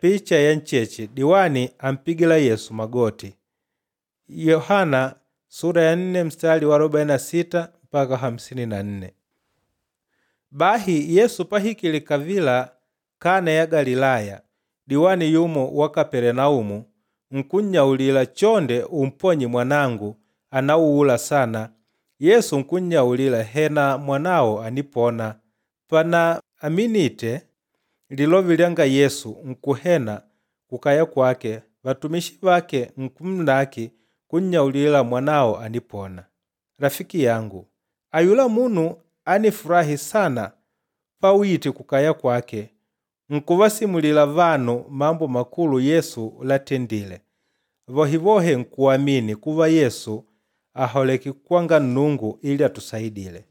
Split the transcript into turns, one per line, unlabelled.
Picha ya ncheche diwani ampigila Yesu magoti. Yohana sura ya 4 mstari wa 46 mpaka 54. Bahi Yesu pahikile kavila Kana ya Galilaya, diwani yumo wa Kapelenaumu nkunnyaulila chonde umponye mwanangu anauula sana. Yesu nkunnyaulila hena mwanawo anipona. Pana aminite lilove lyanga Yesu nkuhena kukaya kwake, vatumishi vake nkumlaki kunnyaulila mwanawo anipona. Rafiki yangu, ayula munu ánifurahi sana pawite kukaya kwake nkuvasimulila vanu mambo makulu Yesu latendile. Vohevohe nkuamini kuva Yesu aholeke kwanga Nnungu ili atusaidile.